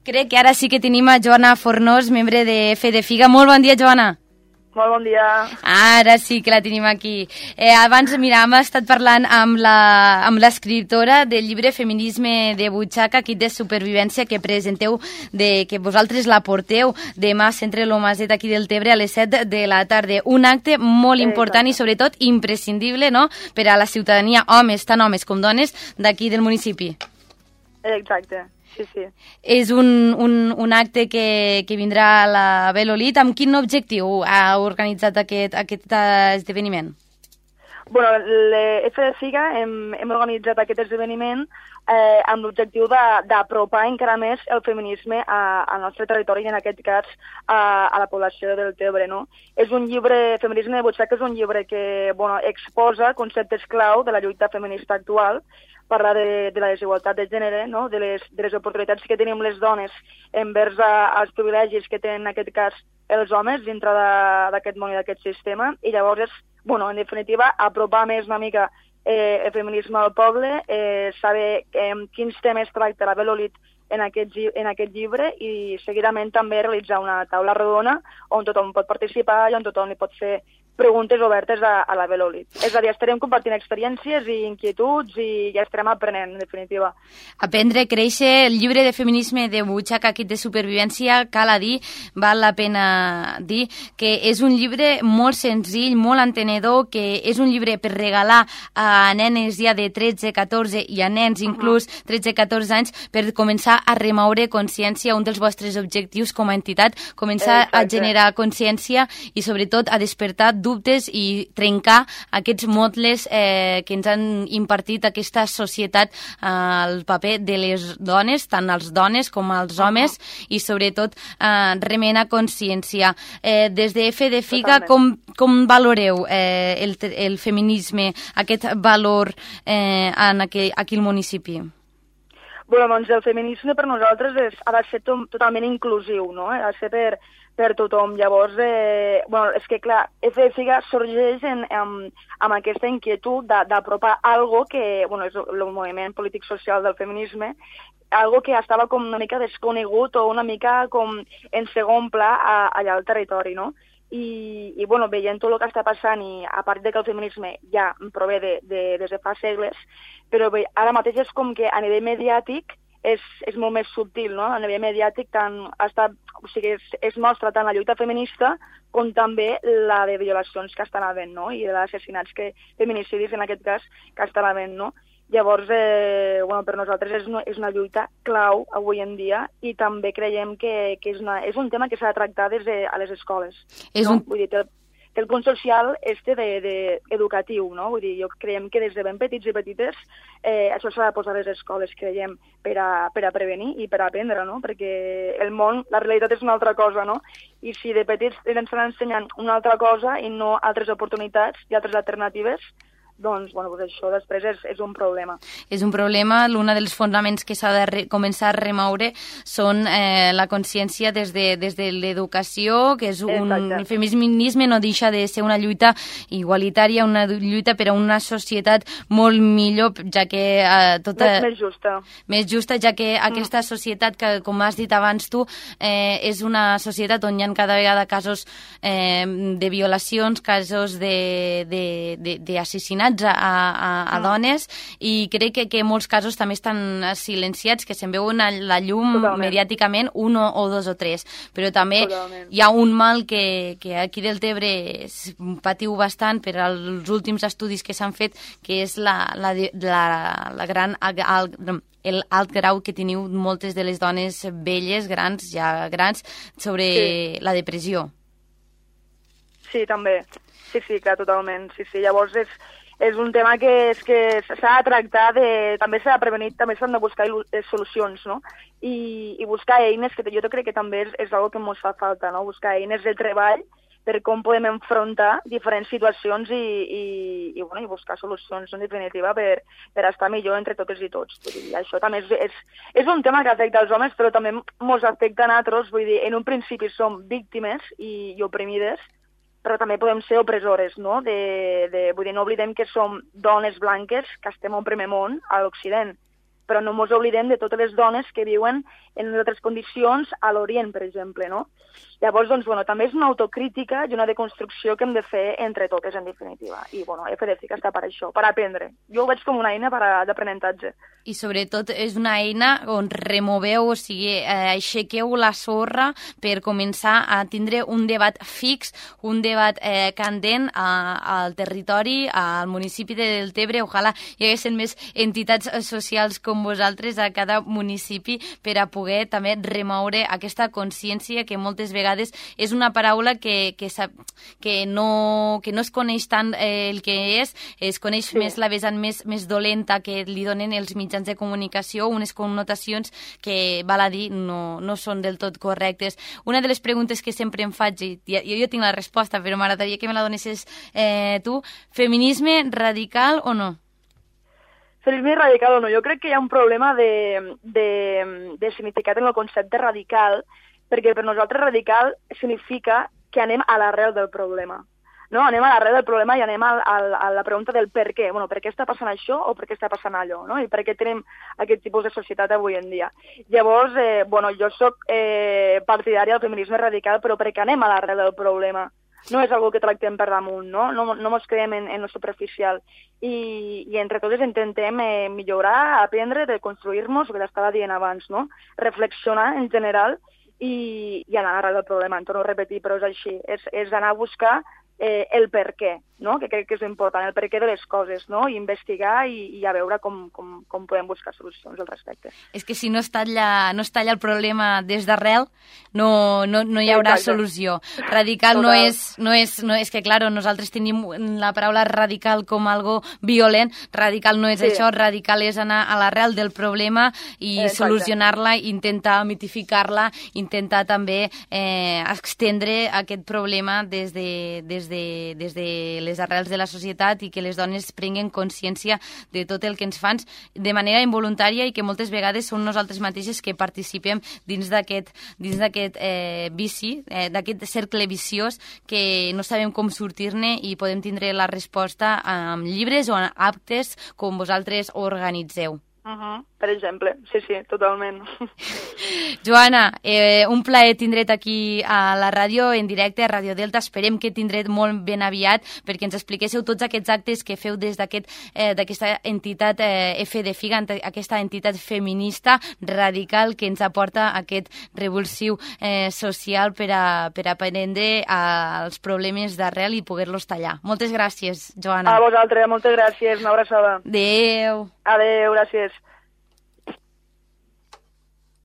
Crec que ara sí que tenim a Joana Fornós, membre de Fe de Figa. Molt bon dia, Joana. Molt bon dia. Ara sí que la tenim aquí. Abans, mira, hem estat parlant amb l'escriptora del llibre Feminisme de butxaca, kit de supervivència, que presenteu, que vosaltres la porteu demà al Centre Lomaset aquí del Tebre a les 7 de la tarda. Un acte molt important i sobretot imprescindible, no?, per a la ciutadania, homes, tant homes com dones, d'aquí del municipi. Exacte. Sí, sí. És un acte que vindrà a la Belolit. Amb quin objectiu ha organitzat aquest esdeveniment? Bueno, l'F de Figa hem organitzat aquest esdeveniment amb l'objectiu d'apropar encara més el feminisme al nostre territori i en aquest cas a la població del Tebre, no? És un llibre, Feminisme de butxaca, és un llibre que exposa conceptes clau de la lluita feminista actual, parlar de la desigualtat de gènere, no?, de les oportunitats que tenim les dones envers els privilegis que tenen en aquest cas els homes dintre d'aquest món i d'aquest sistema, i llavors és, en definitiva, apropar més una mica el feminisme al poble, saber quins temes tracta la Belolit en aquest llibre i seguidament també realitzar una taula rodona on tothom pot participar i on tothom li pot fer preguntes obertes a la Belolit. És a dir, estarem compartint experiències i inquietuds i ja estarem aprenent, en definitiva. Aprendre, créixer, el llibre de Feminisme de butxaca, kit de supervivència, cal a dir, val la pena dir, que és un llibre molt senzill, molt entenedor, que és un llibre per regalar a nenes ja de 13, 14 i a nens inclús 13, 14 anys per començar a remoure consciència, un dels vostres objectius com a entitat, començar a generar consciència i sobretot a despertar dubtes i trencar aquests motlles que ens han impartit aquesta societat, el paper de les dones, tant els dones com els homes, i sobretot remenar consciència. Des de F de Figa, com valoreu el feminisme, aquest valor aquí al municipi? Doncs el feminisme per nosaltres ha de ser totalment inclusiu, no? Ha de ser per tothom. Llavors, és que clar, F de Figa sorgeix amb aquesta inquietud d'apropar algo que, és el moviment polític-social del feminisme, algo que estava com una mica desconegut o una mica com en segon pla allà al territori, no? I veient tot el que està passant, i a part que el feminisme ja prové des de fa segles, però bé, ara mateix és com que a nivell mediàtic és molt més subtil, no? A nivell mediàtic es mostra tant la lluita feminista com també la de violacions que estan havent, no? I d'assassinats, feminicidis en aquest cas, que estan havent, no? Llavors, per nosaltres és una lluita clau avui en dia i també creiem que és un tema que s'ha de tractar des de les escoles. Vull dir, té el punt social educatiu, no? Vull dir, creiem que des de ben petits i petites això s'ha de posar a les escoles, creiem, per a prevenir i per a aprendre, no? Perquè el món, la realitat és una altra cosa, no? I si de petits ens estan ensenyant una altra cosa i no altres oportunitats i altres alternatives, doncs això després és un problema. És un problema. Un dels fonaments que s'ha de començar a remoure són la consciència des de l'educació, que és el feminisme no deixa de ser una lluita igualitària, una lluita per a una societat molt millor, ja que més justa. Més justa, ja que aquesta societat, que com has dit abans tu, és una societat on hi ha cada vegada casos de violacions, casos d'assassinats a dones, i crec que en molts casos també estan silenciats, que se'n veuen a la llum mediàticament, un o dos o tres, però també hi ha un mal que aquí del Tebre patiu bastant per als últims estudis que s'han fet, que és el alt grau que teniu moltes de les dones velles, ja grans, sobre la depressió. Sí, també. Sí, clar, totalment. Sí, llavors és un tema que s'ha de tractar, també s'ha de prevenir, també s'han de buscar solucions, no? I buscar eines, que jo crec que també és una cosa que ens fa falta, no? Buscar eines de treball per com podem enfrontar diferents situacions i buscar solucions, en definitiva, per estar millor entre totes i tots. Vull dir, això també és un tema que afecta els homes, però també ens afecta a nosaltres. Vull dir, en un principi som víctimes i oprimides, però també podem ser opressores, no? Vull dir, no oblidem que som dones blanques que estem al primer món, a l'Occident, però no ens oblidem de totes les dones que viuen en altres condicions a l'Orient, per exemple, no? Llavors, doncs, bueno, també és una autocrítica i una deconstrucció que hem de fer entre totes, en definitiva. I, bueno, FDFIC està per això, per aprendre. Jo ho veig com una eina d'aprenentatge. I, sobretot, és una eina on removeu, o sigui, aixequeu la sorra per començar a tindre un debat fix, un debat candent al territori, al municipi de Deltebre. Ojalà hi haguessin més entitats socials com vosaltres a cada municipi per a poder també remoure aquesta consciència que moltes vegades és una paraula que no es coneix tant el que es coneix més la vessant més dolenta que li donen els mitjans de comunicació, unes connotacions que, val a dir, no són del tot correctes. Una de les preguntes que sempre em faig, i jo tinc la resposta, però m'agradaria que me la donessis tu, feminisme radical o no? Feminisme radical o no? Jo crec que hi ha un problema de significat en el concepte radical, perquè per nosaltres radical significa que anem a l'arrel del problema. No? Anem a l'arrel del problema i anem a la pregunta del per què. Bueno, per què està passant això o per què està passant allò? No? I per què tenim aquest tipus de societat avui en dia? Llavors, jo soc partidària del feminisme radical, però perquè anem a l'arrel del problema. No és algo que tractem per damunt, no? No mos quedem en lo superficial. I entre totes intentem millorar, aprendre, reconstruir-nos, el que t'estava dient abans, no? Reflexionar en general i anar a l'arrel del problema. En torno a repetir, però és així. És anar a buscar el per què, no? Que crec que és important, el per què de les coses, no? I investigar i a veure com podem buscar solucions al respecte. És que si no es talla el problema des d'arrel, no hi haurà solució. Radical no és que, claro, nosaltres tenim la paraula radical com algo violent. Radical no és això, radical és anar a l'arrel del problema i solucionar-la, intentar mitificar-la, intentar també extendre aquest problema des de les arrels de la societat i que les dones prenguen consciència de tot el que ens fan de manera involuntària i que moltes vegades són nosaltres mateixes que participem dins d'aquest vici, d'aquest cercle viciós que no sabem com sortir-ne i podem tindre la resposta amb llibres o amb actes com vosaltres organitzeu. Per exemple, sí, totalment. Joana, un plaer tindre't aquí a la ràdio, en directe, a Ràdio Delta. Esperem que tindret molt ben aviat perquè ens expliquéssiu tots aquests actes que feu des d'aquesta entitat FDFIC, aquesta entitat feminista radical que ens aporta aquest revulsiu social per a prendre els problemes d'arrel i poder-los tallar. Moltes gràcies, Joana. A vosaltres, moltes gràcies. Una abraçada. Adéu. Adéu, gràcies.